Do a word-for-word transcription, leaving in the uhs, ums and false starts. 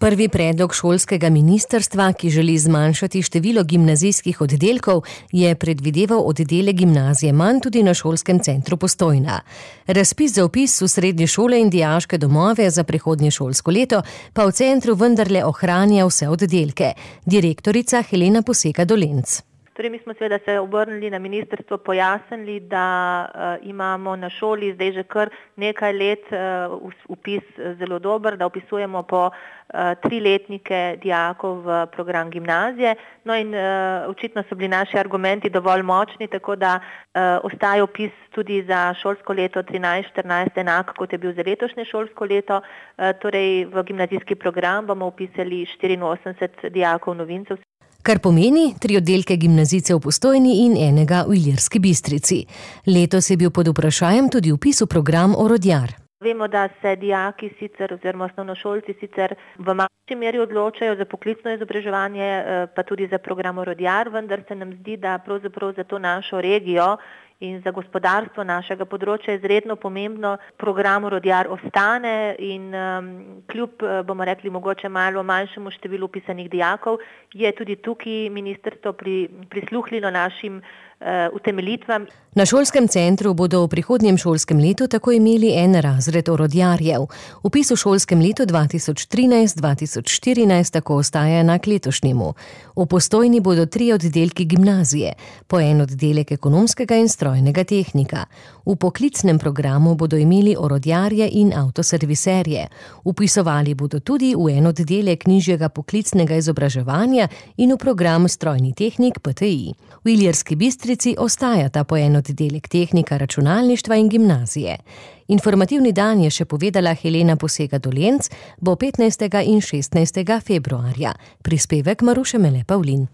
Prvi predlog šolskega ministrstva, ki želi zmanjšati število gimnazijskih oddelkov, je predvideval oddelek gimnazije manj tudi na šolskem centru Postojna. Razpis za vpis v srednje šole in dijaške domove za prihodnje šolsko leto pa v centru vendarle ohranja vse oddelke. Direktorica Helena Poseka-Dolenc. Torej, mi smo seveda se obrnili na ministrstvo, pojasnili, da uh, imamo na šoli zdaj že kar nekaj let uh, vpis zelo dober, da vpisujemo po uh, triletnike dijakov v program gimnazije. No in uh, očitno so bili naši argumenti dovolj močni, tako da uh, ostaja vpis tudi za šolsko leto trinajst štirinajst enak, kot je bil za letošnje šolsko leto. Uh, torej, v gimnazijski program bomo vpisali štiriinosemdeset dijakov novincev. Kar pomeni tri oddelke gimnazijcev v Postojni in enega v Ilirski Bistrici. Letos je bil pod vprašajem tudi vpis v program Orodjar. Vemo, da se dijaki sicer oziroma osnovnošolci sicer v manjši meri odločajo za poklicno izobraževanje, pa tudi za program Orodjar, vendar se nam zdi, da pravzaprav za to našo regijo in za gospodarstvo našega področja je izredno pomembno, program Orodjar ostane in um, kljub, bomo rekli, mogoče malo manjšemu številu vpisanih dijakov, je tudi tukaj ministrstvo pri, prisluhnilo našim uh, utemeljitvam. Na šolskem centru bodo v prihodnjem šolskem letu tako imeli en razred orodjarjev. Vpis v šolskem letu dva tisoč trinajst dva tisoč štirinajst tako ostaja enak letošnjemu. V Postojni bodo tri oddelki gimnazije, po en oddelek ekonomskega in strojnega tehnika. V poklicnem programu bodo imeli orodjarje in avtoserviserje. Vpisovali bodo tudi v en oddelek nižjega poklicnega izobraževanja in v program strojni tehnik P T I. V Ilirski Bistrici ostajata po en oddelek tehnika računalništva in gimnazije. Informativni dan je še povedala Helena Poseka-Dolenc, bo petnajstega in šestnajstega februarja. Prispevek Maruše Mele Pavlin.